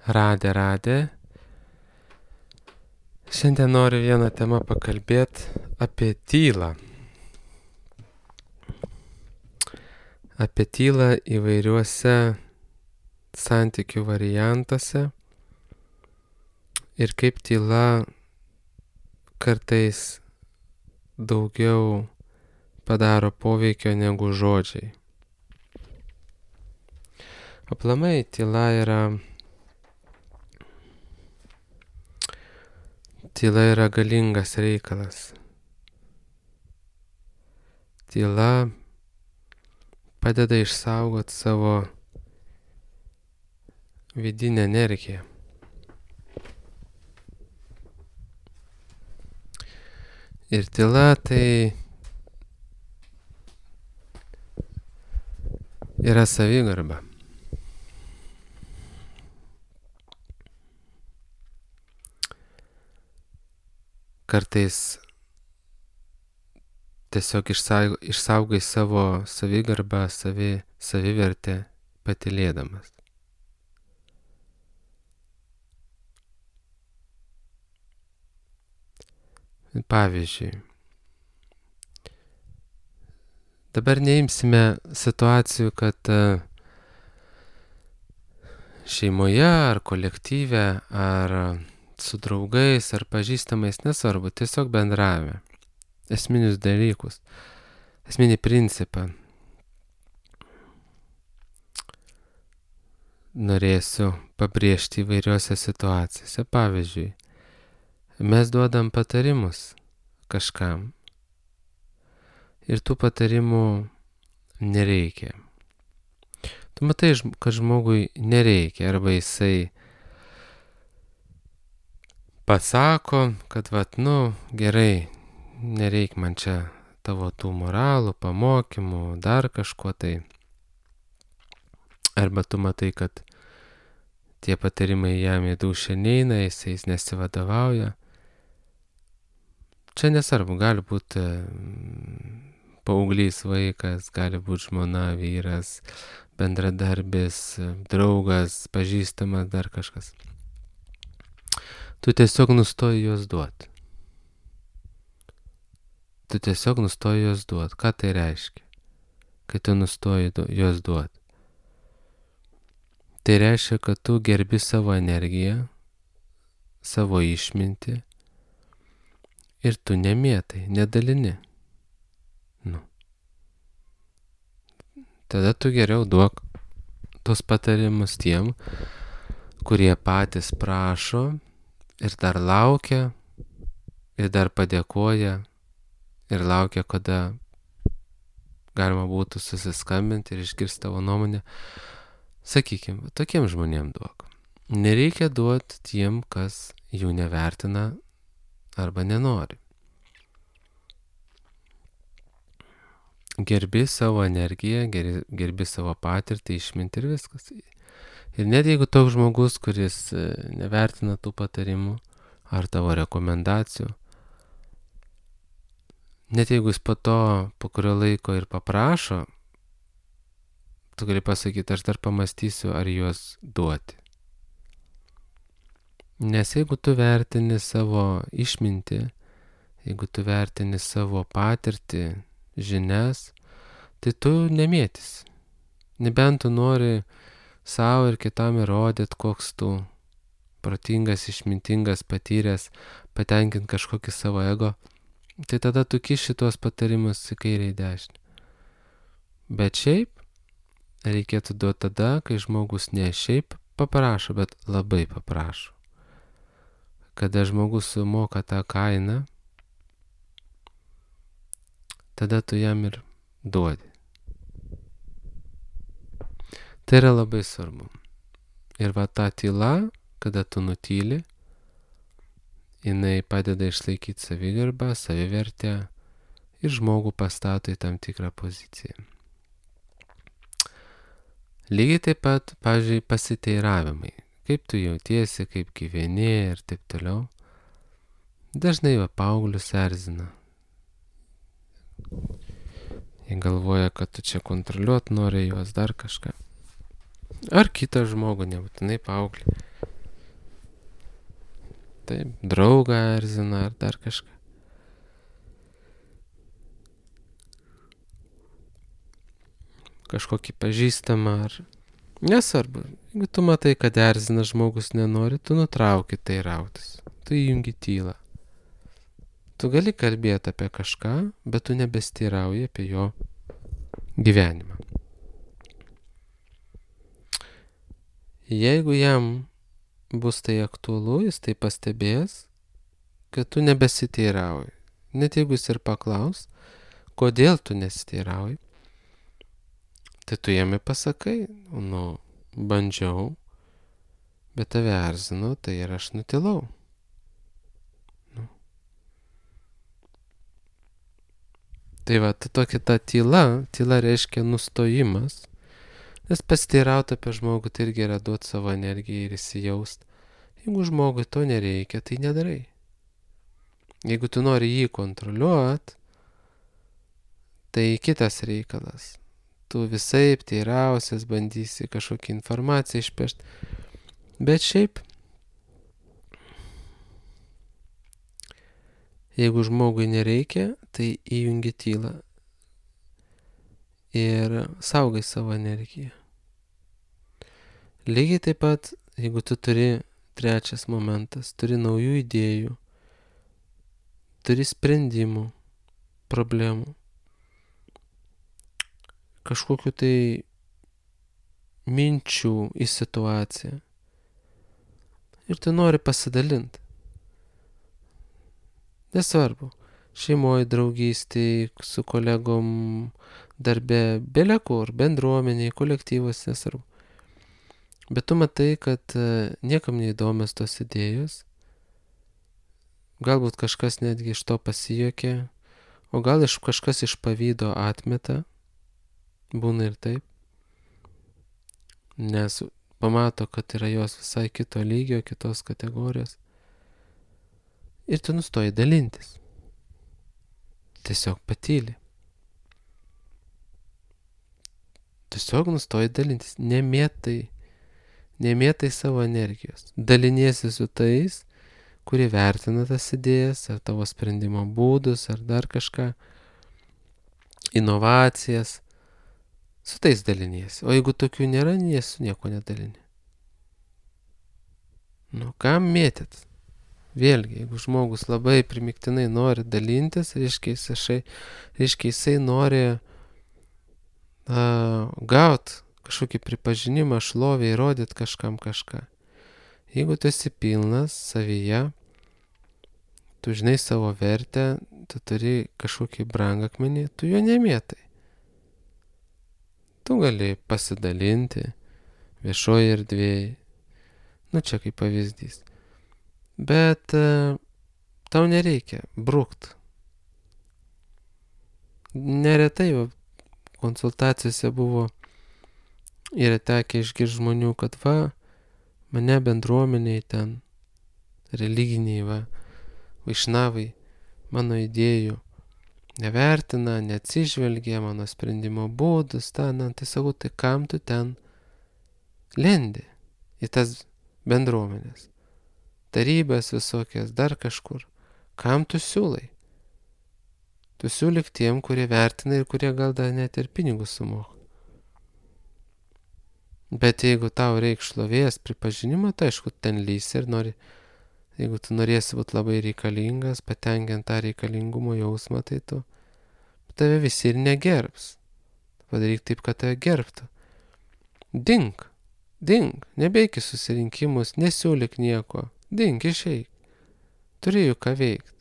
Radė. Šiandien noriu vieną temą pakalbėti apie tylą. Apie tylą įvairiuose santykių variantuose ir kaip tyla kartais daugiau padaro poveikio negu žodžiai. Aplamai tyla yra galingas reikalas. Tyla padeda išsaugoti savo vidinę energiją. Ir tyla tai yra savigarba. Kartais tiesiog išsaugai savo savigarbą, savivertę patylėdamas. Pavyzdžiui, dabar neimsime situacijų, kad šeimoje ar kolektyve ar su draugais ar pažįstamais, nesvarbu, tiesiog bendravime. Esminius dalykus, esminį principą. Norėsiu pabrėžti įvairiose situacijose. Pavyzdžiui, mes duodam patarimus kažkam ir tų patarimų nereikia. Tu matai, kad žmogui nereikia, arba jisai pasako, kad gerai, nereik man čia tavo tų moralų, pamokymų, dar kažko tai. Arba tu matai, kad tie patarimai jam į dūšią neina, jis nesivadovauja. Čia nesvarbu, gali būti paauglys vaikas, gali būti žmona, vyras, bendradarbis, draugas, pažįstamas, dar kažkas. Tu tiesiog nustoji juos duoti. Ką tai reiškia, kai tu nustoji juos duoti? Tai reiškia, kad tu gerbi savo energiją, savo išmintį ir tu nemėtai, nedalini. Tada tu geriau duok tos patarimus tiem, kurie patys prašo ir dar laukia, ir dar padėkoja, ir laukia, kada galima būtų susiskambinti ir išgirsti tavo nuomonę. Sakykime, tokiem žmonėm duok. Nereikia duoti tiem, kas jų nevertina arba nenori. Gerbi savo energiją, gerbi savo patirtį, išmintį ir viskas. Ir net jeigu toks žmogus, kuris nevertina tų patarimų ar tavo rekomendacijų, net jeigu jis po kurio laiko ir paprašo, tu gali pasakyti, aš dar pamastysiu, ar juos duoti. Nes jeigu tu vertini savo išmintį, jeigu tu vertini savo patirtį, žinias, tai tu nemėtysi. Nebent tu nori savo ir kitam įrodyti, koks tu protingas, išmintingas, patyręs, patenkinti kažkokį savo ego, tai tada tu kiši tuos patarimus į kairę į dešinę. Bet šiaip reikėtų duoti tada, kai žmogus ne šiaip paprašo, bet labai paprašo. Kada žmogus sumoka tą kainą, tada tu jam ir duodi. Tai yra labai svarbu. Ir ta tyla, kada tu nutyli, jinai padeda išlaikyti savigarbą, savivertę ir žmogų pastato į tam tikrą poziciją. Lygiai taip pat, pavyzdžiui, pasiteiravimai. Kaip tu jautiesi, kaip gyveni ir taip toliau. Dažnai paauglius erzina. Jie galvoja, kad tu čia kontroliuot nori juos, dar kažką. Ar kitą žmogų, nebūtinai paauglį. taip, draugą erzina ar dar kažką. Kažkokį pažįstamą ar... Nesvarbu, jeigu tu matai, kad erzina žmogus nenori, tu nutrauki tai rautis. Tu įjungi tylą. Tu gali kalbėti apie kažką, bet tu nebesteirauji apie jo gyvenimą. Jeigu jam bus tai aktualu, jis tai pastebės, kad tu nebesiteirauji. Net jeigu jis ir paklaus, kodėl tu nesiteirauji, tai tu jame pasakai, bandžiau, bet tave erzino, tai ir aš nutilau. Tai va, tokia ta tyla reiškia nustojimas, nes pasiteirauti apie žmogų tai irgi yra duoti savo energiją ir įsijaust. Jeigu žmogui to nereikia, tai nedarai. Jeigu tu nori jį kontroliuot, tai kitas reikalas. Tu visaip teirausias, bandysi kažkokią informaciją išpešti. Bet šiaip, jeigu žmogui nereikia, tai įjungi tylą ir saugai savo energiją. Lygiai taip pat, jeigu tu turi, trečias momentas, turi naujų idėjų, turi sprendimų, problemų, kažkokiu tai minčių į situaciją ir tu nori pasidalinti. Nesvarbu, šeimoje, draugystėje, su kolegom, darbe, belekur, bendruomeniai, kolektyvas, nesvarbu. Bet tu matai, kad niekam neįdomios tos idėjos, galbūt kažkas netgi iš to pasijuokė, o gal kažkas iš pavydo atmeta, būna ir taip, nes pamato, kad yra jos visai kito lygio, kitos kategorijos. Ir tu nustoji dalintis. Tiesiog patyli. Tiesiog nustoji dalintis. Nemėtai savo energijos. Daliniesi su tais, kurie vertina tas idėjas, ar tavo sprendimo būdus, ar dar kažką, inovacijas. Su tais daliniesi. O jeigu tokių nėra, su nieko nedalini. Kam mėtyt? Vėlgi, jeigu žmogus labai primiktinai nori dalintis, reiškia jisai nori gauti kažkokį pripažinimą, šlovę, įrodyti kažkam kažką. Jeigu tu esi pilnas savyje, tu žinai savo vertę, tu turi kažkokį brangakmenį, tu jo nemėtai. Tu gali pasidalinti viešoje erdvėje. Čia kaip pavyzdys. Bet tau nereikia brukt. Neretai konsultacijose yra tekę išgirsti žmonių, kad mane bendruomeniai ten, religiniai vaišnavai, mano idėjų nevertina, neatsižvelgia, mano sprendimo būdus, tai sakau, tai kam tu ten lendi į tas bendruomenės? Tarybas visokias, dar kažkur. Kam tu siūlai? Tu siūlyk tiem, kurie vertina ir kurie gal dar net ir pinigus sumoka. Bet jeigu tau reik šlovės, pripažinimo, tai aišku, ten lysi ir jeigu tu norėsi būti labai reikalingas, patenkinti tą reikalingumo jausmą, tai tave visi ir negerbs. Padaryk taip, kad tave gerbtų. Dink, nebeik į susirinkimus, nesiūlyk nieko. Dink, išeik. Turi juk ką veikti.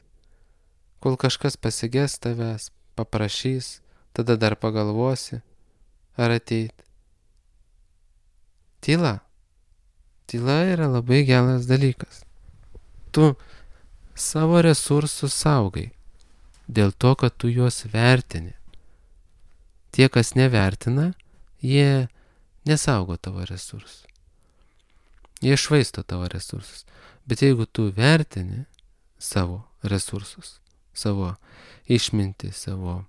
Kol kažkas pasiges tavęs, paprašys, tada dar pagalvosi, ar ateiti. Tyla. Tyla yra labai geras dalykas. Tu savo resursus saugai, dėl to, kad tu juos vertini. Tie, kas nevertina, jie nesaugo tavo resursus. Jie švaisto tavo resursus. Bet jeigu tu vertini savo resursus, savo išmintį, savo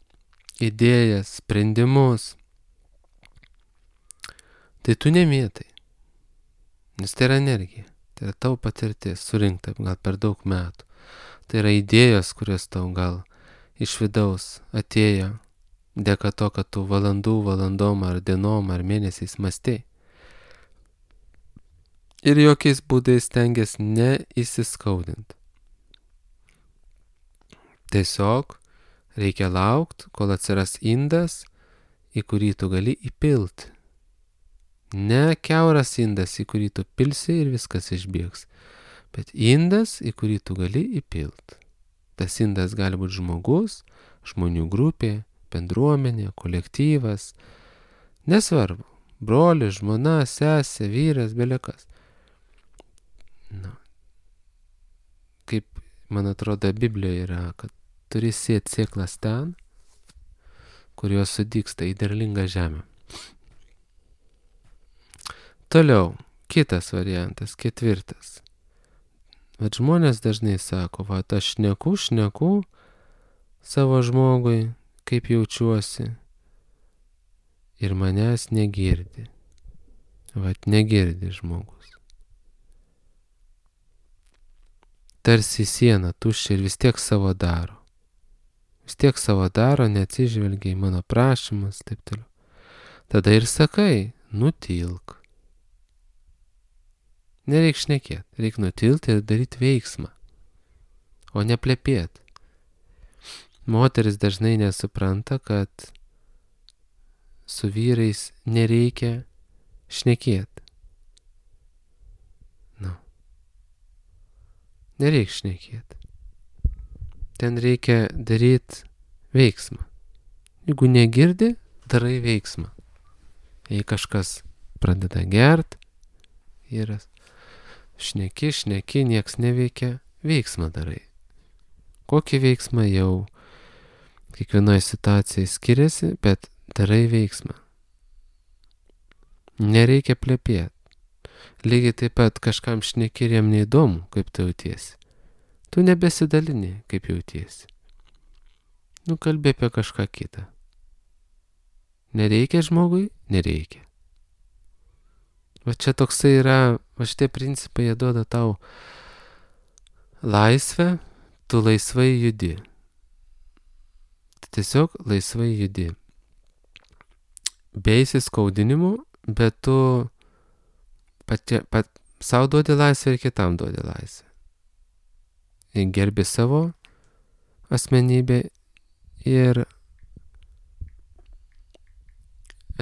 idėjas, sprendimus, tai tu nemėtai. Nes tai yra energija. Tai yra tavo patirtis, surinkta gal per daug metų. Tai yra idėjos, kurios tau gal iš vidaus atėjo dėka to, kad tu valandom ar dienom ar mėnesiais mąstei. Ir jokiais būdais stengiasi neįsiskaudinti. Tiesiog reikia laukti, kol atsiras indas, į kurį tu gali įpilti. Ne kiauras indas, į kurį tu pilsi ir viskas išbėgs, bet indas, į kurį tu gali įpilti. Tas indas gali būti žmogus, žmonių grupė, bendruomenė, kolektyvas, nesvarbu, brolis, žmona, sesė, vyras, belekas. Kaip, man atrodo, Biblijoje yra, kad turi sėti sėklas ten, kur jos sudygsta į derlingą žemę. Toliau, kitas variantas, 4. Bet žmonės dažnai sako, aš šneku savo žmogui, kaip jaučiuosi, ir manęs negirdi. Negirdi žmogus. Tarsi siena tuščia ir vis tiek savo daro. Neatsižvelgia į mano prašymus, taip toliau. Tada ir sakai, nutilk. Nereik šnekėti, reik nutilti ir daryti veiksmą, o ne plepėti. Moteris dažnai nesupranta, kad su vyrais nereikia šnekėti. Nereik šnekėti. Ten reikia daryti veiksmą. Jeigu negirdi, darai veiksmą. Jei kažkas pradeda gert, vyras, šneki, nieks neveikia, veiksmą darai. Kokį veiksmą jau kiekvienoje situacijai skiriasi, bet darai veiksmą. Nereikia plepėti. Lygiai taip pat kažkam šneki ir jam neįdomu, kaip tu jautiesi. Tu nebesidalini, kaip jautiesi. Kalbė apie kažką kitą. Nereikia žmogui? Nereikia. Čia toksai yra, šitie principai jie duoda tau laisvę, tu laisvai judi. Tiesiog laisvai judi. Be įsiskaudinimų, bet tu savo duodi laisvę ir kitam duodi laisvę. Gerbi savo asmenybę ir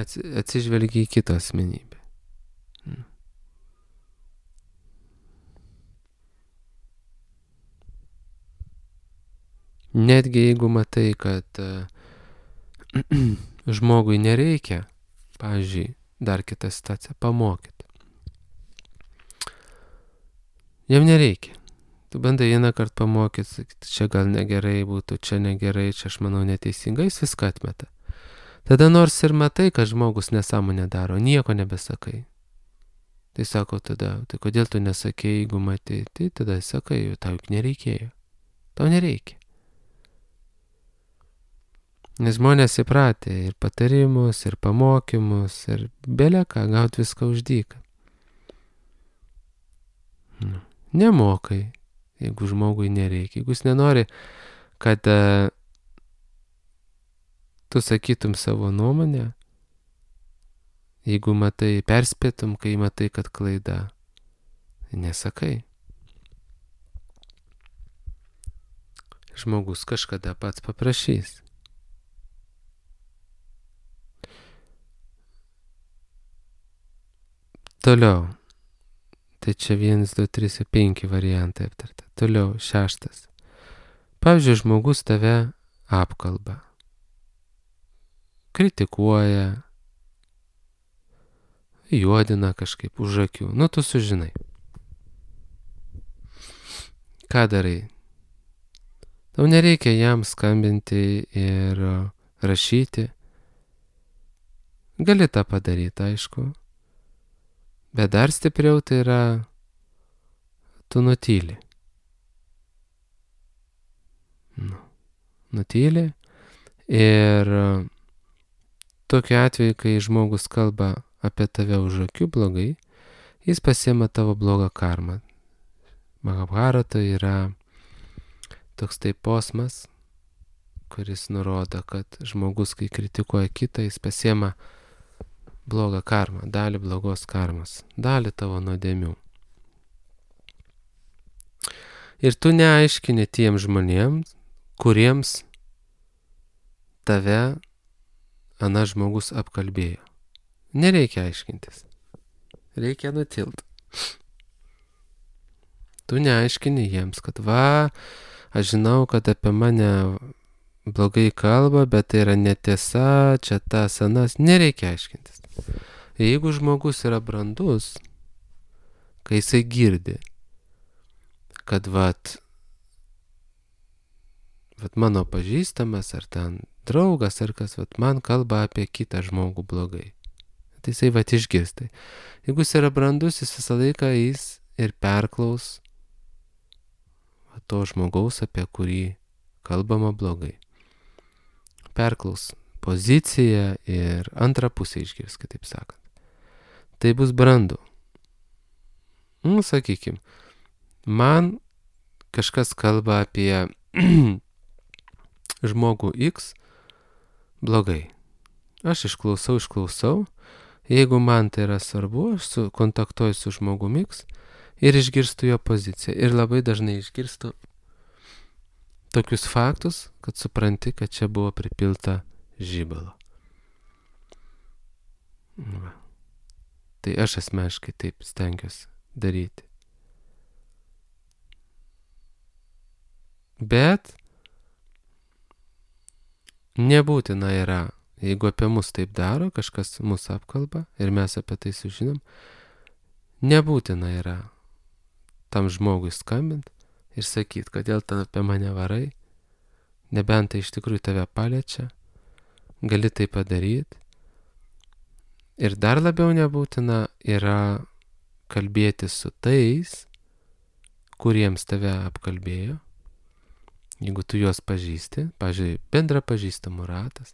atsižvelgi į kitą asmenybę. Netgi jeigu matai, kad žmogui nereikia, pavyzdžiui, dar kitą situaciją, pamokyti. Jam nereikia. Tu bandai vieną kartą pamokyti, sakyti, čia gal negerai būtų, čia negerai, čia aš manau neteisingai, jis viską atmeta. Tada nors ir matai, kad žmogus nesąmonę daro, nieko nebesakai. Tai sako tada, tai kodėl tu nesakei, jeigu matai, tai tada sakai, tau juk nereikėjo. Tau nereikia. Nes žmonės įpratę ir patarimus, ir pamokymus, ir beleką gauti viską už dyką. Nemokai, jeigu žmogui nereikia. Jeigu jis nenori, kad tu sakytum savo nuomonę, jeigu matai, perspėtum, kai matai, kad klaida, nesakai. Žmogus kažkada pats paprašys. Toliau. Tai čia 1, 2, 3, 5 variantai aptarta. Toliau 6. Pavyzdžiui, žmogus tave apkalba. Kritikuoja. Juodina kažkaip už akių. Tu sužinai. Ką darai? Tau nereikia jam skambinti ir rašyti. Gali tą padaryti, aišku. Bet dar stipriau tai yra, tu nutyli. Nutyli ir tokiu atveju, kai žmogus kalba apie tave už akių blogai, jis pasiema tavo blogą karmą. Mahabharata yra toks tai posmas, kuris nurodo, kad žmogus, kai kritikuoja kitą, jis pasiema blogą karmą, dalį blogos karmos, dalį tavo nuodėmių. Ir tu neaiškini tiem žmonėms, kuriems tave anas žmogus apkalbėjo. Nereikia aiškintis. Reikia nutilt. Tu neaiškini jiems, kad aš žinau, kad apie mane blogai kalba, bet tai yra netiesa, čia tas anas. Nereikia aiškintis. Jeigu žmogus yra brandus, kai jisai girdi, kad mano pažįstamas ar ten draugas ar kas, man kalba apie kitą žmogų blogai. Tai jisai išgirstai. Jeigu jis yra brandus, jis visą laiką ir perklaus to žmogaus, apie kurį kalbama blogai. Perklaus poziciją ir antrą pusę išgirs, kitaip sakant. Tai bus brandu. Sakykim, man kažkas kalba apie žmogų X blogai. Aš išklausau. Jeigu man tai yra svarbu, aš kontaktuoju su žmogumi X ir išgirstu jo poziciją. Ir labai dažnai išgirstu tokius faktus, kad supranti, kad čia buvo pripilta žibalo. Tai aš asmeniškai taip stengiuosi daryti. Bet nebūtina yra, jeigu apie mus taip daro, kažkas mus apkalba ir mes apie tai sužinom, nebūtina yra tam žmogui skambint ir sakyt, kodėl ten apie mane varai, nebent tai iš tikrųjų tave paliečia, gali tai padaryti. Ir dar labiau nebūtina yra kalbėti su tais, kuriems tave apkalbėjo, jeigu tu juos pažįsti, pavyzdžiui, bendra pažįstamų ratas,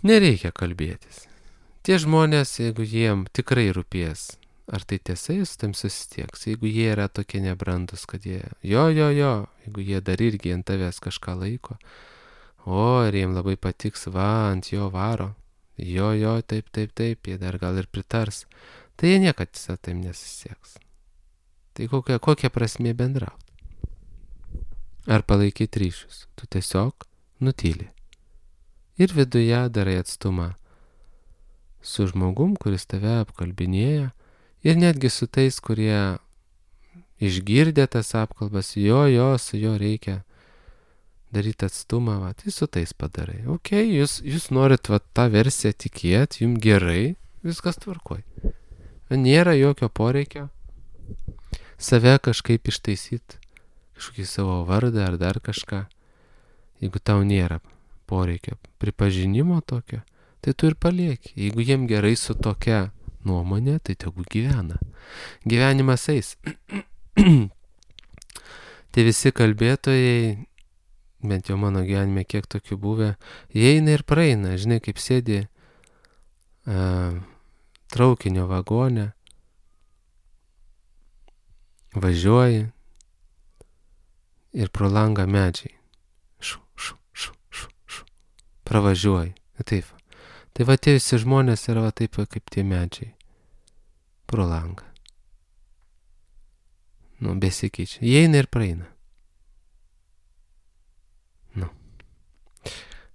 nereikia kalbėtis. Tie žmonės, jeigu jiem tikrai rūpės, ar tai tiesa, jis tam susitieks. Jeigu jie yra tokie nebrandus, kad jie, jeigu jie dar irgi ant tavęs kažką laiko, ir jiem labai patiks, ant jo varo, taip, jie dar gal ir pritars, tai jie niekad su taim nesusisieks. Tai kokia prasmė bendrauti? Ar palaikyti ryšius? Tu tiesiog nutyli. Ir viduje darai atstumą su žmogum, kuris tave apkalbinėja, ir netgi su tais, kurie išgirdė tas apkalbas, su jo reikia daryti atstumą, tai su tais padarai. Jūs norit tą versiją tikėti, jums gerai, viskas tvarkoj. Nėra jokio poreikio save kažkaip ištaisyti, kažkokį savo vardą ar dar kažką. Jeigu tau nėra poreikio pripažinimo tokio, tai tu ir palieki. Jeigu jiem gerai su tokia nuomonė, tai tegu gyvena. Gyvenimas eis. Tai visi kalbėtojai, bent jau mano gyvenime kiek tokių buvę, jie eina ir praeina. Žinai, kaip sėdi traukinio vagone, važiuoji ir pro langą medžiai. Pravažiuoji. Taip. Tai tie visi žmonės yra taip kaip tie medžiai. Pro langą. Besikeičia. Jie eina ir praeina.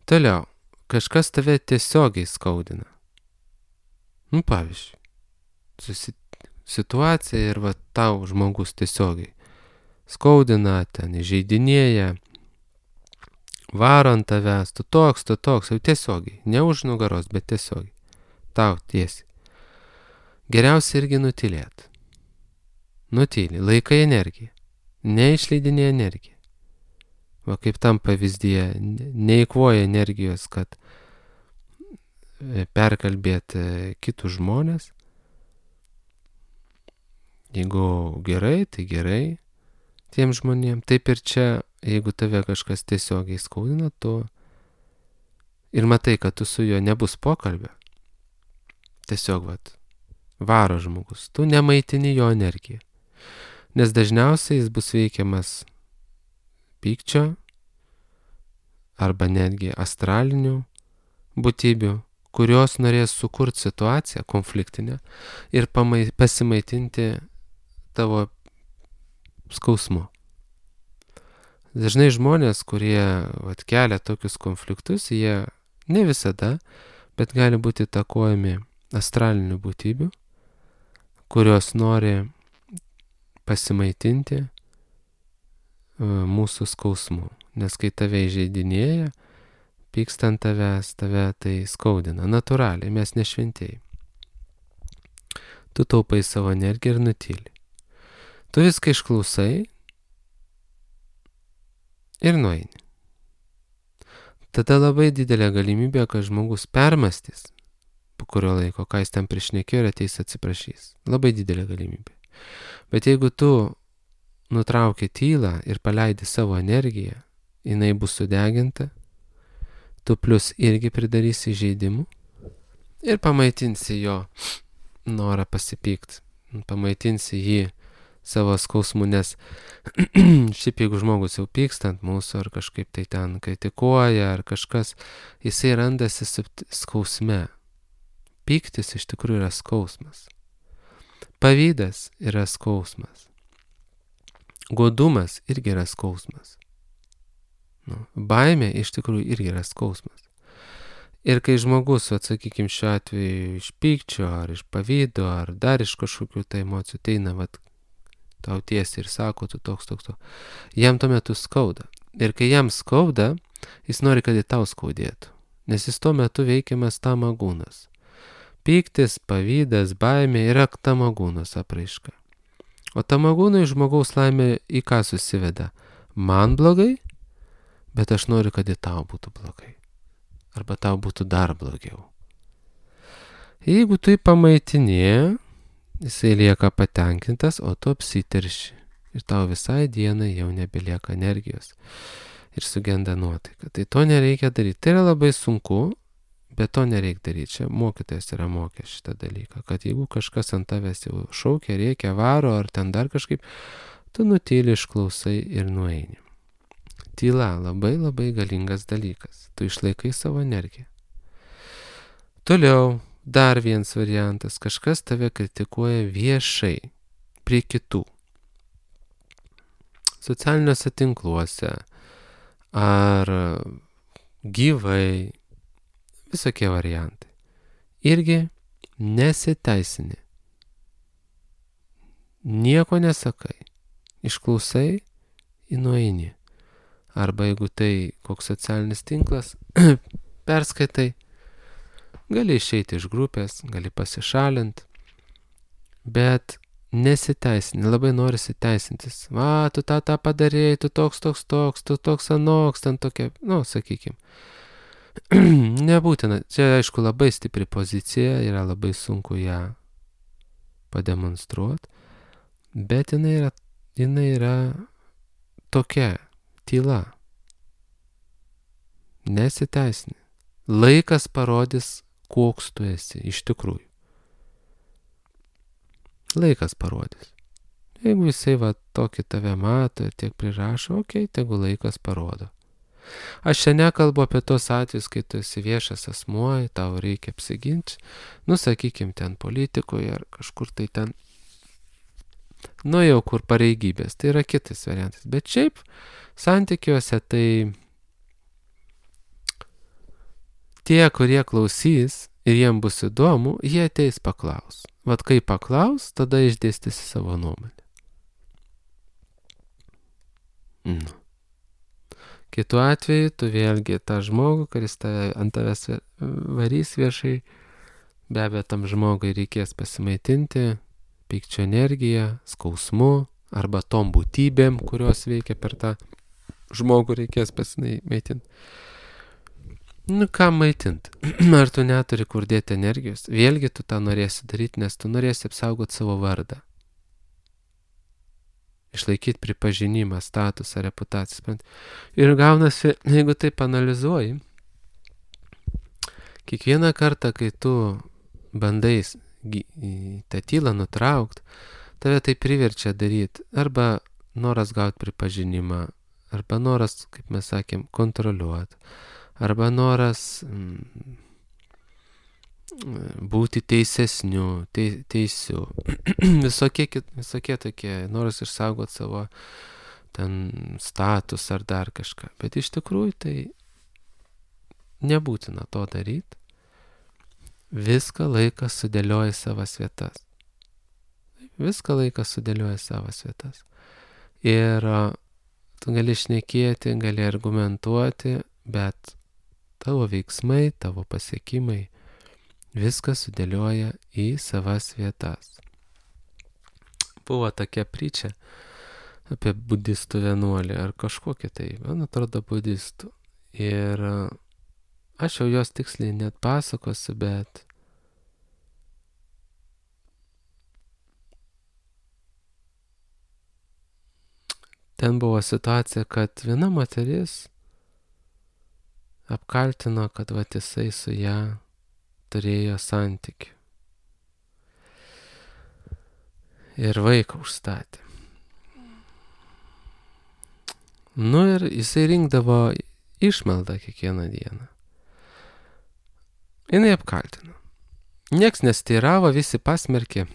Toliau. Kažkas tave tiesiogiai skaudina. Pavyzdžiui, situacija ir tau žmogus tiesiogiai skaudina, ten įžeidinėja, varo ant tavęs, tu toks, jau tiesiogiai, ne už nugaros, bet tiesiogiai, tau tiesiai. Geriausia irgi nutylėti. Nutyli, laikai energiją, neišleidinė energiją. Kaip tam pavyzdyje, neįkvoja energijos, kad perkalbėti kitus žmonės. Jeigu gerai, tai gerai tiem žmonėm. Taip ir čia, jeigu tave kažkas tiesiogiai skaudina, tu ir matai, kad tu su juo nebus pokalbio, tiesiog varo žmogus, tu nemaitini jo energiją. Nes dažniausiai jis bus veikiamas pykčio arba netgi astralinių būtybių, kurios norės sukurti situaciją konfliktinę ir pasimaitinti tavo skausmu. Dažnai žmonės, kurie kelia tokius konfliktus, jie ne visada, bet gali būti įtakojami astralinių būtybių, kurios nori pasimaitinti mūsų skausmu. Nes kai tave įžeidinėja, pyksta ant tavęs, tave tai skaudina. Natūraliai, mes nešventėjai. Tu taupai savo energiją ir nutyli. Tu viską išklausai ir nueini. Tada labai didelė galimybė, kad žmogus permastys po kurio laiko, ką jis ten prišnekėjo ir ateis atsiprašys. Labai didelė galimybė. Bet jeigu tu nutrauki tylą ir paleidi savo energiją, jinai bus sudeginta, tu plus irgi pridarysi įžeidimų ir pamaitinsi jo norą pasipykti, pamaitinsi jį savo skausmu, nes šiaip jeigu žmogus jau pyksta ant mūsų ar kažkaip tai ten kritikuoja ar kažkas, jisai randasi skausme. Pyktis iš tikrųjų yra skausmas. Pavydas yra skausmas. Godumas irgi yra skausmas. Baimė iš tikrųjų irgi yra skausmas. Ir kai žmogus, atsakykime šiuo atveju, iš pykčio, ar iš pavydo, ar dar iš kažkokių tai emocijų, teina, tau tiesiai ir sako, tu toks, jam tuo metu skauda. Ir kai jam skauda, jis nori, kad į tau skaudėtų. Nes jis tuo metu veikiamas tamagūnas. Pyktis, pavydas, baimė yra tamagūnas apraiška. O tamagūnai žmogaus laimė į ką susiveda? Man blogai, bet aš noriu, kad į tau būtų blogai. Arba tau būtų dar blogiau. Jeigu tu jį pamaitinė, jisai lieka patenkintas, o tu apsiterši. Ir tau visai dienai jau nebelieka energijos. Ir sugenda nuotaika. Tai to nereikia daryti. Tai yra labai sunku, bet to nereikia daryti. Čia mokytojas yra mokęs šitą dalyką. Kad jeigu kažkas ant tavęs jau šaukia, reikia, varo ar ten dar kažkaip, tu nutyli, išklausai ir nueini. Tyla labai labai galingas dalykas. Tu išlaikai savo energiją. Toliau, dar vienas variantas. Kažkas tave kritikuoja viešai, prie kitų. Socialiniuose tinkluose ar gyvai, visokie variantai. Irgi nesiteisini. Nieko nesakai. Išklausai ir nueini. Arba jeigu tai koks socialinis tinklas, perskaitai, gali išeiti iš grupės, gali pasišalinti, bet nesiteisini, labai norisi teisintis. Tu tą padarėjai, tu toks, tu toks anoks, ten tokia, sakykim. Nebūtina, čia aišku labai stipri pozicija, yra labai sunku ją pademonstruoti, bet jinai yra tokia. Tyla. Nesiteisini. Laikas parodys, koks tu esi iš tikrųjų. Laikas parodys. Jeigu jisai tokį tave mato ir tiek prirašo, tegu laikas parodo. Aš čia nekalbu apie tos atvejus, kai tu esi viešas asmuo, tau reikia apsiginti, sakykim, ten politikoje ar kažkur tai ten, jau kur pareigybės, tai yra kitas variantas. Bet šiaip santykiuose tai tie, kurie klausys ir jiem bus įdomu, jie ateis paklaus. Kai paklaus, tada išdėstysi savo nuomonę. Kitu atveju, tu vėlgi tą žmogų, kuris ant tavęs varys viešai, be abejo, tam žmogui reikės pasimaitinti pykčio energiją, skausmu, arba tom būtybėm, kurios veikia per tą žmogų reikės pasimaitinti. Ką maitinti? Ar tu neturi kur dėti energijos? Vėlgi tu tą norėsi daryti, nes tu norėsi apsaugoti savo vardą. Išlaikyti pripažinimą, statusą, reputaciją. Ir gaunasi, jeigu taip analizuoji, kiekvieną kartą, kai tu bandai tą tylą nutraukti, tave tai priverčia daryti. Arba noras gauti pripažinimą, arba noras, kaip mes sakėm, kontroliuoti, arba noras būti teisesniu, teisiu. visokie tokie, noras išsaugoti savo ten status ar dar kažką. Bet iš tikrųjų tai nebūtina to daryti. Viską laikas sudėlioja savas vietas. Viską laikas sudėlioja savas vietas. Ir tu gali šnekėti, gali argumentuoti, bet tavo veiksmai, tavo pasiekimai, viskas sudėlioja į savas vietas. Buvo tokia pričia apie budistų vienuolį ar kažkokį tai, man atrodo, budistų. Ir aš jau jos tiksliai net pasakosiu, bet ten buvo situacija, kad viena moteris apkaltino, kad vat jisai su ją turėjo santykių. Ir vaiką užstatė. Nu ir jisai rinkdavo išmaldą kiekvieną dieną. Jinai apkaltino. Nieks nesteiravo, visi pasmerkė.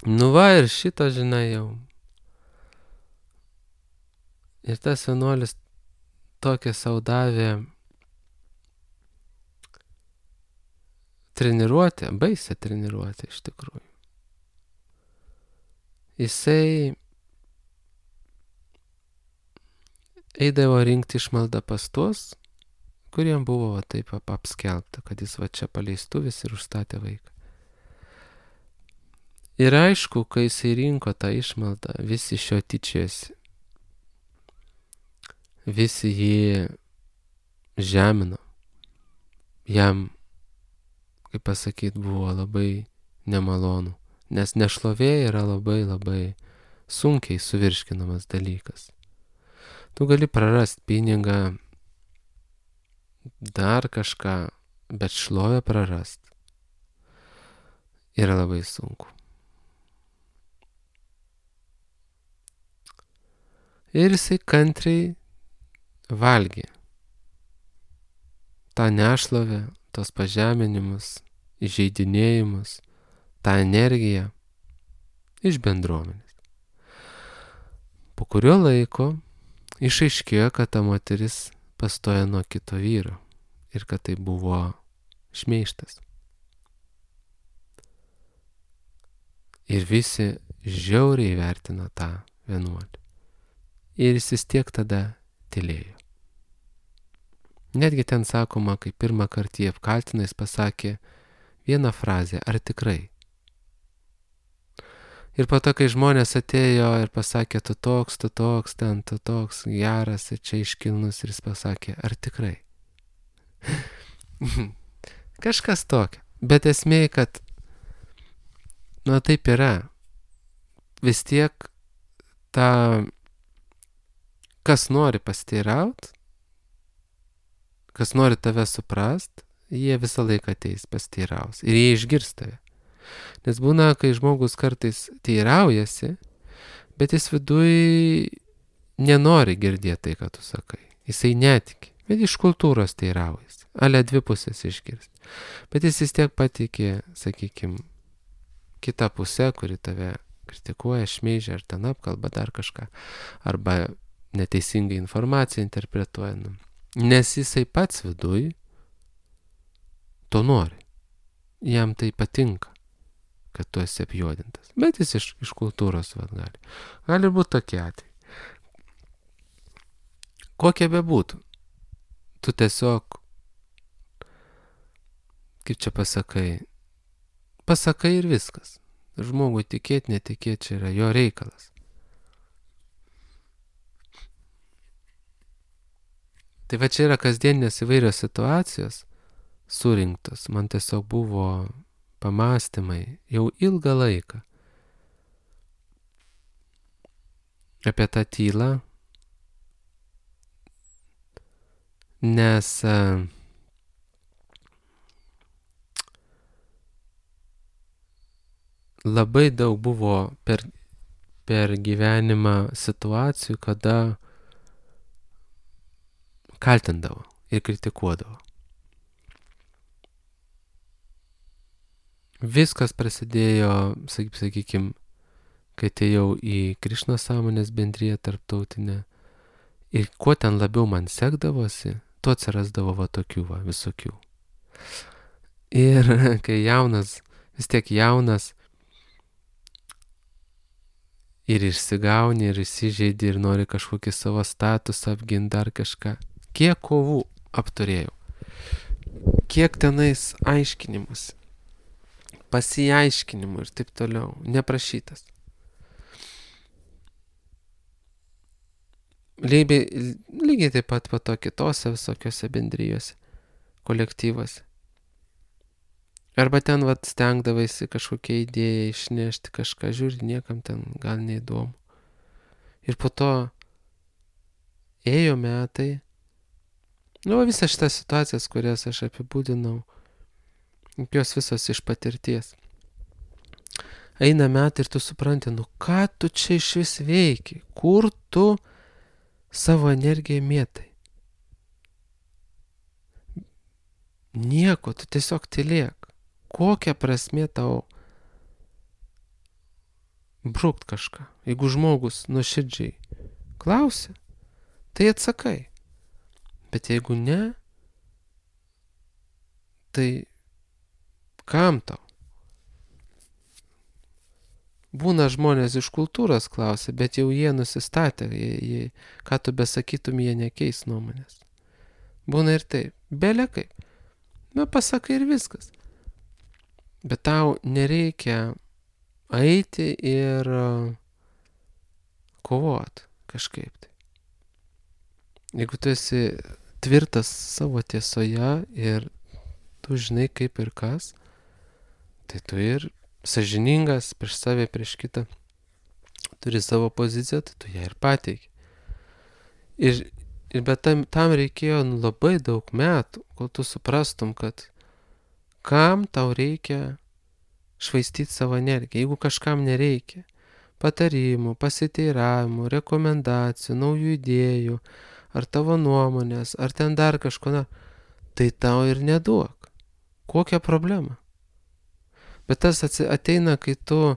Nu va ir šito žinai jau. Ir tas vienuolis tokią sau davė treniruotę, baisę treniruotę iš tikrųjų. Jisai eidavo rinkti išmaldą pas tuos, kuriem buvo va taip apskelbta, kad jis va čia paleistuvis ir užstatė vaiką. Ir aišku, kai jisai rinko tą išmaldą, visi iš jo tyčiojosi. Visi jį žemino. Jam, kaip pasakyti, buvo labai nemalonu, nes nešlovė yra labai labai sunkiai suvirškinamas dalykas. Tu gali prarasti pinigą, dar kažką, bet šlovę prarast yra labai sunku. Ir jisai kantriai valgė tą nešlovę, tos pažeminimus, įžeidinėjimus, tą energiją iš bendruomenės. Po kurio laiko išaiškėjo, kad ta moteris pastojo nuo kito vyro ir kad tai buvo šmeižtas. Ir visi žiauriai vertino tą vienuolį. Ir jis vis tiek tada tylėjo. Netgi ten sakoma, kai pirmą kartą jį apkaltino, jis pasakė vieną frazę, ar tikrai? Ir po to, kai žmonės atėjo ir pasakė, tu toks, ten, tu toks, geras ir čia iškilnus, ir jis pasakė, ar tikrai? Kažkas tokio. Bet esmė, kad, nu taip yra. Vis tiek ta, kas nori pasteiraut, kas nori tave suprast, jie visą laiką ateis pasteiraus. Ir jie išgirs tave. Nes būna, kai žmogus kartais teiraujasi, bet jis viduj nenori girdėti tai, ką tu sakai. Jisai netiki, bet iš kultūros teiraujasi. Ale dvi pusės išgirsti. Bet jis vis tiek patikė, sakykim, kitą pusę, kuri tave kritikuoja, šmeižia ar ten apkalba dar kažką. Arba neteisingai informaciją interpretuoja. Nes jisai pats viduj to nori. Jam tai patinka, kad tu esi apjuodintas. Bet jis iš kultūros gali. Gali būti tokie atvejai. Kokie bebūtų. Tu tiesiog, kaip čia pasakai ir viskas. Žmogui tikėti, netikėti, čia yra jo reikalas. Tai va čia yra kasdieninės įvairios situacijos surinktos. Man tiesiog buvo pamąstymai jau ilgą laiką apie tą tylą, nes labai daug buvo per per gyvenimą situacijų, kada kaltindavo ir kritikuodavo. Viskas prasidėjo, sakykime, kai atėjau į Krišnos sąmonės bendriją tarptautinę. Ir kuo ten labiau man sekdavosi, tuo atsirasdavo va tokių visokių. Ir kai vis tiek jaunas, ir išsigauni, ir įsižeidi, ir nori kažkokį savo statusą apginti, dar kažką. Kiek kovų apturėjau. Kiek tenais aiškinimus, pasiaiškinimų ir taip toliau, neprašytas. Lygiai taip pat po to kitose visokiose bendrijose, kolektyvuose. Arba ten stengdavaisi kažkokią idėją išnešti kažką, žiūri, niekam ten gal neįdomu. Ir po to ėjo metai, visas šitas situacijas, kurias aš apibūdinau, jos visos iš patirties. Eina metai ir tu supranti, ką tu čia iš vis veiki, kur tu savo energiją mėtai. Nieko, tu tiesiog tylėk. Kokia prasmė tau brukt kažką? Jeigu žmogus nuoširdžiai klausia, tai atsakai. Bet jeigu ne, tai kam tau? Būna žmonės iš kultūros klausia, bet jau jie nusistatė, ką tu besakytum, jie nekeis nuomonės. Būna ir taip, belekai. Pasakai ir viskas. Bet tau nereikia eiti ir kovot kažkaip tai. Jeigu tu esi tvirtas savo tiesoje ir tu žinai kaip ir kas, tai tu ir sąžiningas prieš save, prieš kitą, turi savo poziciją, tai tu ją ir pateiki. Bet tam reikėjo labai daug metų, kol tu suprastum, kad kam tau reikia švaistyti savo energiją, jeigu kažkam nereikia patarimų, pasiteiravimų, rekomendacijų, naujų idėjų, ar tavo nuomonės, ar ten dar kažko, tai tau ir neduok. Kokia problema? Bet tas ateina, kai tu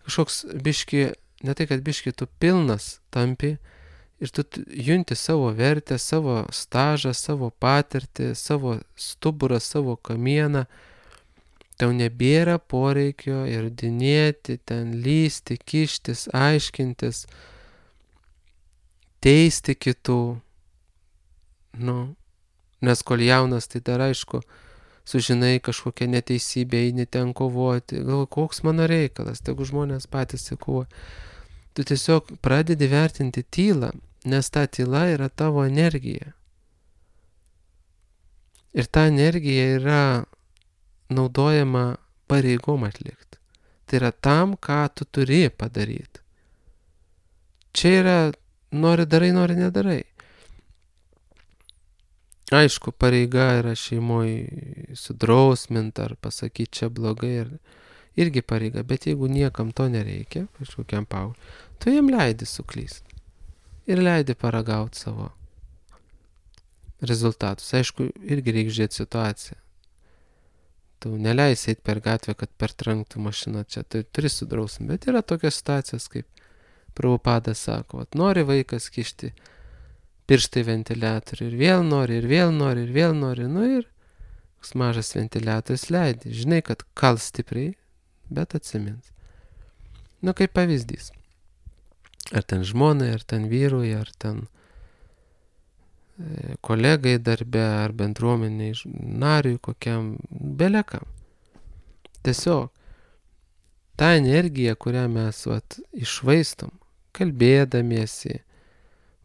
kažkoks biški, ne tai kad biški, tu pilnas tampi ir tu junti savo vertę, savo stažą, savo patirtį, savo stuburą, savo kamieną. Tau nebėra poreikio įrodinėti, ten lysti, kištis, aiškintis, teisti kitų. Nes kol jaunas, tai dar aišku, sužinai kažkokią neteisybę, eini ten kovoti. Galvoju, koks mano reikalas, tegu žmonės patys kovoja. Tu tiesiog pradedi vertinti tylą, nes ta tyla yra tavo energija. Ir ta energija yra naudojama pareigom atlikti. Tai yra tam, ką tu turi padaryti. Čia yra nori darai, nori nedarai. Aišku, pareiga yra šeimoje sudrausminti ar pasakyti čia blogai, irgi pareiga, bet jeigu niekam to nereikia, kažkokiam paaugliui, tu jam leidi suklysti ir leidi paragauti savo rezultatus. Aišku, irgi reikia žiūrėti situaciją. Tu neleisi eiti per gatvę, kad pertrenktų mašiną čia, tai turi sudrausminti, bet yra tokios situacijos, kaip Prabhupadas sako, nori vaikas kišti pirštai ventiliatorių ir vėl nori, ir vėl nori, ir vėl nori, ir koks mažas ventiliatorius leidi. Žinai, kad kal stipriai, bet atsimins. Kaip pavyzdys. Ar ten žmonai, ar ten vyrui, ar ten kolegai darbe, ar bendruomeniai nariui kokiam, belekam. Tiesiog ta energija, kurią mes iššvaistom, kalbėdamiesi,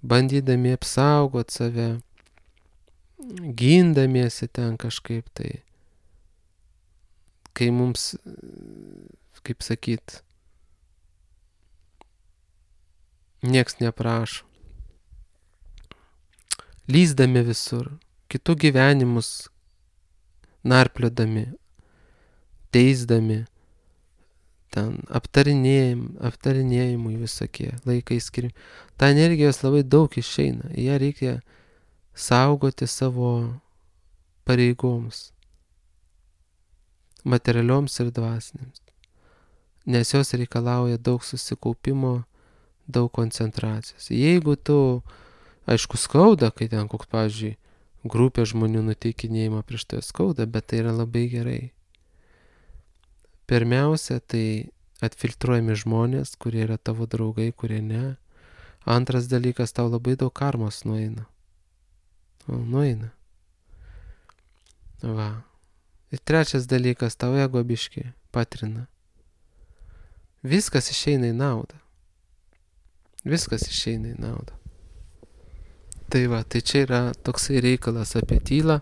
bandydami apsaugoti save, gindamiesi ten kažkaip tai, kai mums, kaip sakyt, nieks neprašo, lyzdami visur, kitų gyvenimus narpliodami, teisdami, ten aptarinėjimui visokie laikai skiriami. Ta energijos labai daug išeina, ją reikia saugoti savo pareigoms, materialioms ir dvasinėms, nes jos reikalauja daug susikaupimo, daug koncentracijos. Jeigu tu, aišku, skauda, kai ten koks, pavyzdžiui, grupė žmonių nuteikinėjimą prieš tai skauda, bet tai yra labai gerai. Pirmiausia, tai atfiltruojami žmonės, kurie yra tavo draugai, kurie ne. Antras dalykas, tau labai daug karmos nueina. Nueina. Va. Ir trečias dalykas, tau ego biškį patrina. Viskas išeina į naudą. Viskas išeina į naudą. Tai va, tai čia yra toksai reikalas apie tylą.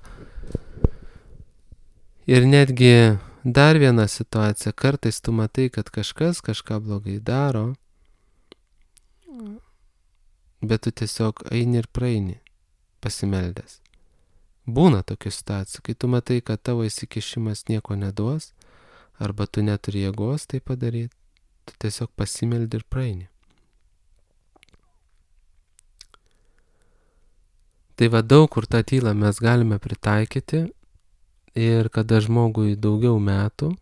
Ir netgi dar viena situacija, kartais tu matai, kad kažkas kažką blogai daro, bet tu tiesiog eini ir praeini, pasimeldęs. Būna tokių situacijų, kai tu matai, kad tavo įsikišimas nieko neduos, arba tu neturi jėgos tai padaryti, tu tiesiog pasimeldi ir praeini. Tai va, daug kur tą tylą mes galime pritaikyti ir kada žmogui daugiau metų,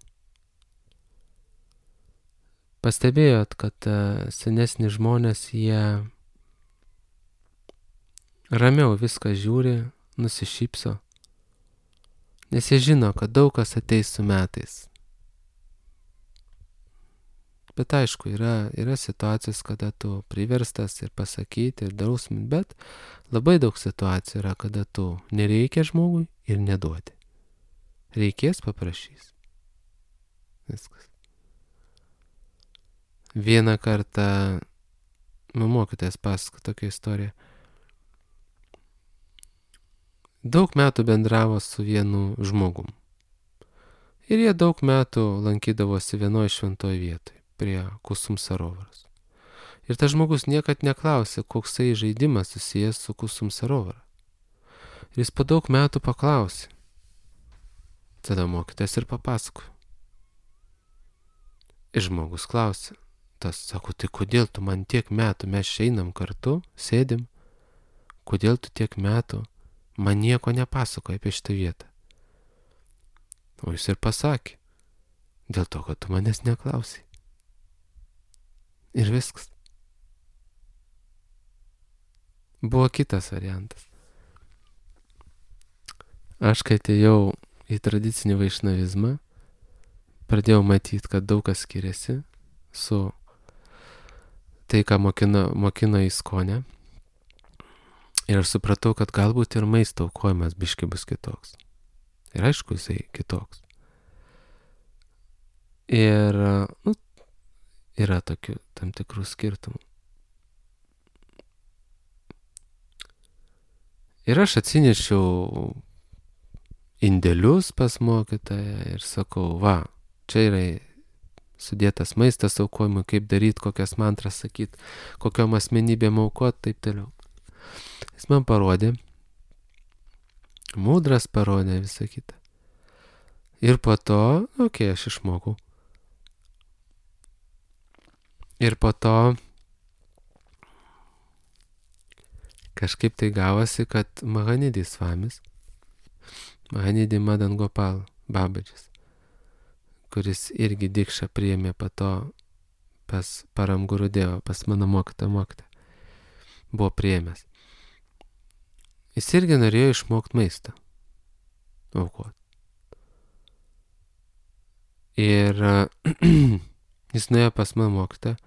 pastebėjot, kad senesni žmonės, jie ramiau viską žiūri, nusišypso, nes jie žino, kad daug kas ateis su metais. Bet aišku, yra situacijos, kada tu priverstas ir pasakyti, ir drausminti, bet labai daug situacijų yra, kada tu nereikia žmogui ir neduodi. Reikės, paprašys. Viskas. Vieną kartą mokytojas pasako tokią istoriją. Daug metų bendravo su vienu žmogum. Ir jie daug metų lankydavosi vienoje šventoje vietoje, prie Kusum Sarovaros. Ir tas žmogus niekad neklausė, koksai žaidimas susijęs su Kusum Sarovara. Ir jis po daug metų paklausė. Tada mokytojas ir papasakojo. Ir žmogus klausė. Tas sako, tai kodėl tu man tiek metų, mes einam kartu, sėdim, kodėl tu tiek metų man nieko nepasakoji apie šitą vietą? O jis ir pasakė, dėl to, kad tu manęs neklausai. Ir viskas. Buvo kitas variantas. Aš, kai atėjau į tradicinį vaišnavizmą, pradėjau matyti, kad daug kas skiriasi su tai, ką mokino Iskonė. Ir aš supratau, kad galbūt ir maisto aukojimas biški bus kitoks. Ir aišku, jisai kitoks. Ir yra tokių tam tikrų skirtumų. Ir aš atsinešiau indėlius pas mokytoją ir sakau, va, čia yra sudėtas maistas aukojimui, kaip daryti, kokias mantras sakyti, kokiom asmenybėm aukot, taip toliau. Jis man parodė, mūdras parodė visą kitą. Ir po to, aš išmokau. Ir po to kažkaip tai gavosi, kad Mahanidi Svamis, Mahanidi Madan Gopal Babadžis, kuris irgi dikšą priėmė po to pas Param Gurudevą, pas mano mokytą, buvo priėmęs. Jis irgi norėjo išmokti maistą aukoti. Ir jis nuėjo pas mano mokytą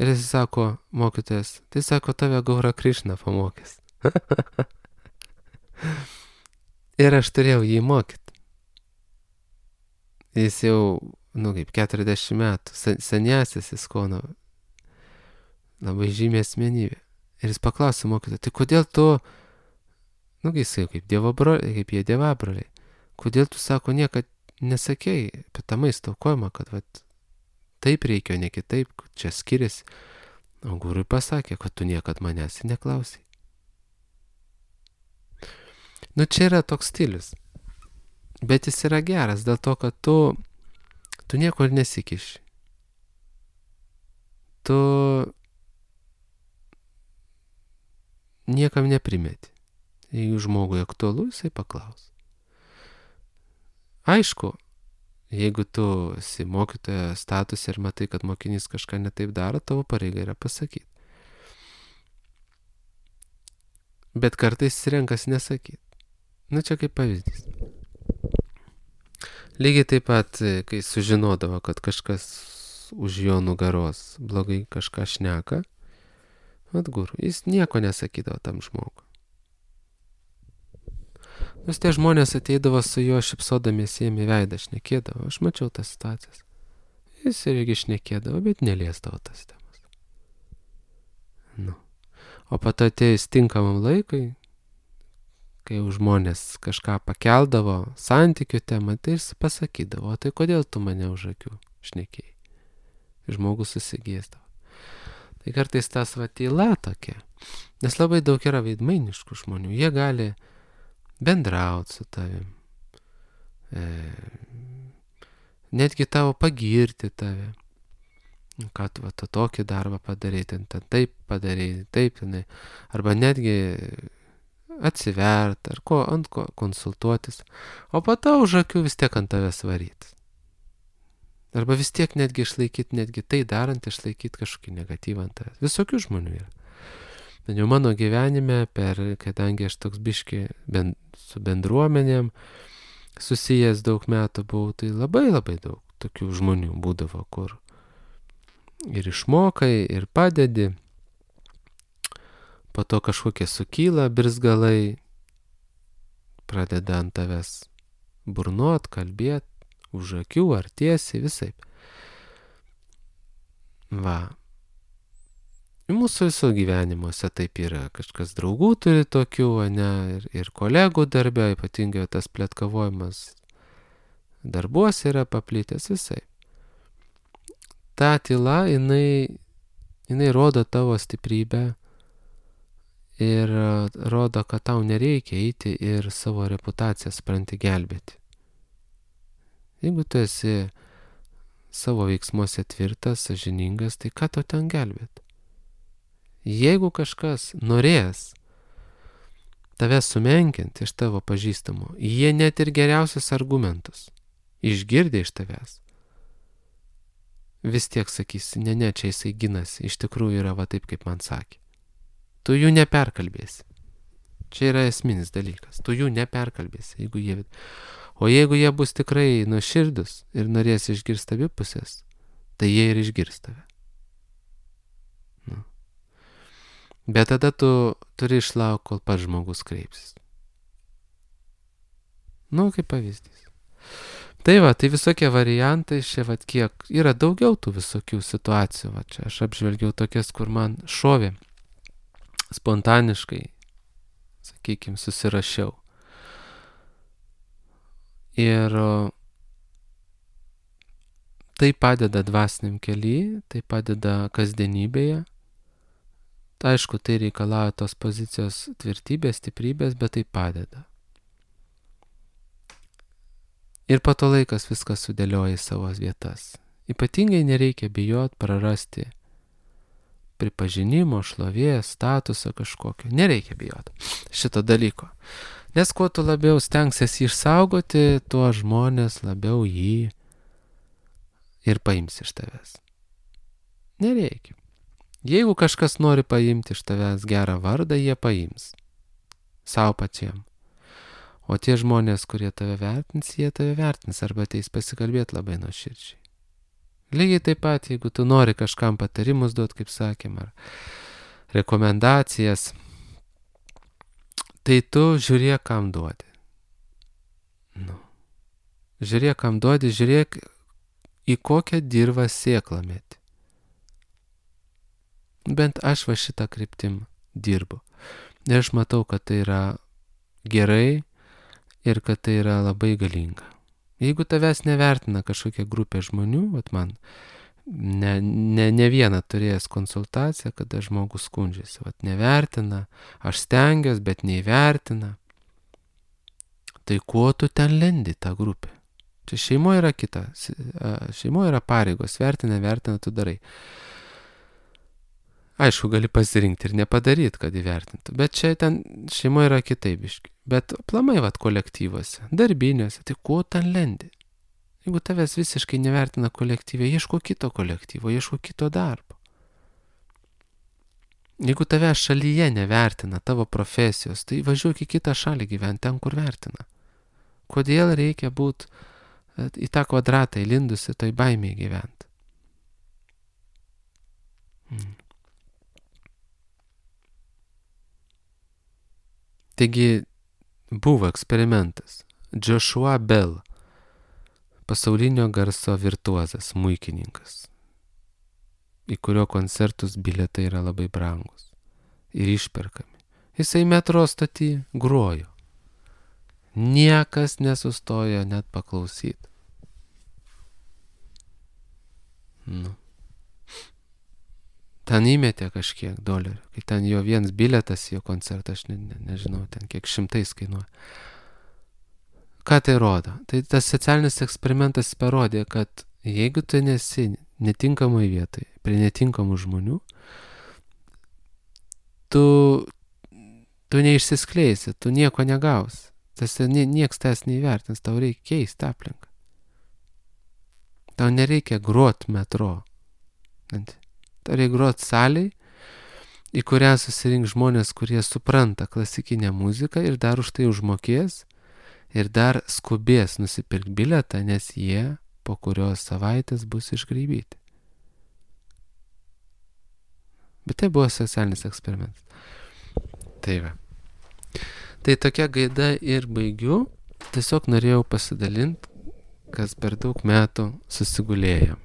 ir jis sako, mokytojas, tai sako, tave Gaura Krišna pamokys. Ir aš turėjau jį mokyti. Jis jau, kaip 40 metų, seniausias Iskono, labai žymi asmenybė. Ir jis paklausė mokytoją, tai kodėl tu, jisai kaip jie dievabroliai, kodėl tu, sako, niekad nesakėjai apie tą maisto aukojimą, kad taip reikia, ne kitaip, čia skiriasi. O gurui pasakė, kad tu niekad manęs neklausai. Čia yra toks stilius. Bet jis yra geras dėl to, kad tu tu nieko ir nesikiši. Tu niekam neprimeti. Jeigu žmogui aktualu, jisai paklaus. Aišku, jeigu tu esi mokytojo status ir matai, kad mokinys kažką netaip daro, tavo pareiga yra pasakyti. Bet kartais renkasi nesakyti. Čia kaip pavyzdys. Lygiai taip pat, kai sužinodavo, kad kažkas už jo nugaros blogai kažką šneka, guru, jis nieko nesakydavo tam žmogui. Nes tie žmonės ateidavo su juo šipsodamiesi jiem į veidą šnekėdavo. Aš mačiau tas situacijas. Jis irgi šnekėdavo, bet neliesdavo tas temas. O po to atėjus tinkamam laikui, kai jau žmonės kažką pakeldavo santykių temą, tai jis pasakydavo, tai kodėl tu mane už akių šnekėjai? Žmogus susigėsdavo. Tai kartais tas tyla tokia, nes labai daug yra veidmainiškų žmonių. Jie gali bendrauti su tavim, netgi tavo pagirti tave, kad tu tokį darbą padarai, ten taip padarai, taip, arba netgi atsivert, ar ant ko konsultuotis, o po to už akių vis tiek ant tavęs varytis. Arba vis tiek netgi išlaikyti, netgi tai darant, išlaikyti kažkokį negatyvą ant tavęs. Visokių žmonių yra. Bet jau mano gyvenime, kadangi aš toks biški su bendruomenėm susijęs daug metų buvau, tai labai labai daug tokių žmonių būdavo, kur ir išmokai, ir padedi, po to kažkokie sukyla birzgalai, pradeda ant tavęs burnot, kalbėt, už akių ar tiesiai, visaip. Mūsų viso gyvenimuose taip yra. Kažkas draugų turi tokių, ir kolegų darbė, ypatingai tas pletkavojimas darbuose yra paplitęs visai. Ta tyla, jinai rodo tavo stiprybę ir rodo, kad tau nereikia eiti ir savo reputaciją spranti gelbėti. Jeigu tu esi savo veiksmuose tvirtas, sąžiningas, tai ką tau ten gelbėti? Jeigu kažkas norės tave sumenkinti iš tavo pažįstamų, jie net ir geriausius argumentus išgirdę iš tavęs, vis tiek sakysi, ne, čia jisai ginasi, iš tikrųjų yra va taip, kaip man sakė. Tu jų neperkalbėsi. Čia yra esminis dalykas. Tu jų neperkalbėsi, o jeigu jie bus tikrai nuoširdus ir norės išgirsti abi pusės, tai jie ir išgirs tave. Bet tada tu turi išlaukti, kol pats žmogus kreipsis. Kaip pavyzdys. Tai visokie variantai, kiek yra daugiau tų visokių situacijų. Čia aš apžvelgiau tokias, kur man šovė spontaniškai, sakykime, susirašiau. Ir tai padeda dvasiniam kely, tai padeda kasdienybėje. Aišku, tai reikalauja tos pozicijos tvirtybės, stiprybės, bet tai padeda. Ir po to laikas viskas sudėlioja į savo vietas. Ypatingai nereikia bijot prarasti pripažinimo, šlovės, statuso kažkokio. Nereikia bijot šito dalyko. Nes kuo tu labiau stengsiesi išsaugoti, tuo žmonės labiau jį ir paims iš tavęs. Nereikia. Jeigu kažkas nori paimti iš tavęs gerą vardą, jie paims. Sau pačiam. O tie žmonės, kurie tave vertins, jie tave vertins arba ateis pasikalbėti labai nuoširdžiai. Lygiai taip pat, jeigu tu nori kažkam patarimus duoti, kaip sakėm, ar rekomendacijas, tai tu žiūrėk, kam duodi. Žiūrėk, kam duodi, žiūrėk, į kokią dirvą sėklą meti. Bent aš šitą kryptim dirbu. Ir aš matau, kad tai yra gerai ir kad tai yra labai galinga. Jeigu tavęs nevertina kažkokia grupė žmonių, man ne vieną turėjęs konsultaciją, kada žmogus skundžiasi, nevertina, aš stengiuosi, bet neįvertina. Tai kuo tu ten lendi tą grupę? Čia šeimoje yra kita. Šeimoje yra pareigos. Vertina, tu darai. Aišku, gali pasirinkti ir nepadaryti, kad įvertintų. Bet čia ten šeimoje yra kitaip biški. Bet aplamai kolektyvuose, darbiniuose, tai kuo ten lendi? Jeigu tavęs visiškai nevertina kolektyvė, ieško kito kolektyvo, ieško kito darbo. Jeigu tavęs šalyje nevertina tavo profesijos, tai važiuok į kitą šalį gyventi, ten, kur vertina. Kodėl reikia būti į tą kvadratą įlindusi, toj baimėje gyventi? Taigi buvo eksperimentas. Joshua Bell, pasaulinio garso virtuozas, smuikininkas, į kurio koncertus bilietai yra labai brangus ir išperkami. Jisai metro stoty grojo. Niekas nesustojo net paklausyti. Ten įmetė kažkiek dolerių, kai ten jo vienas bilietas į jo koncertą, aš nežinau, ten kiek šimtais kainuoja. Ką tai rodo? Tai tas socialinis eksperimentas parodė, kad jeigu tu nesi netinkamai vietoje, prie netinkamų žmonių, tu neišsiskleisi, tu nieko negausi. Nieks tas neįvertins, tau reikia keisti aplinką. Tau nereikia grot metro. Tau reikia grot salėj, į kurią susirink žmonės, kurie supranta klasikinę muziką ir dar už tai užmokės ir dar skubės nusipirkti bilietą, nes jie po kurios savaitės bus išgraibyti. Bet tai buvo socialinis eksperimentas. Tai va. Tai tokia gaida ir baigiu. Tiesiog norėjau pasidalinti, kas per daug metų susigulėjo.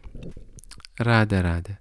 Radė.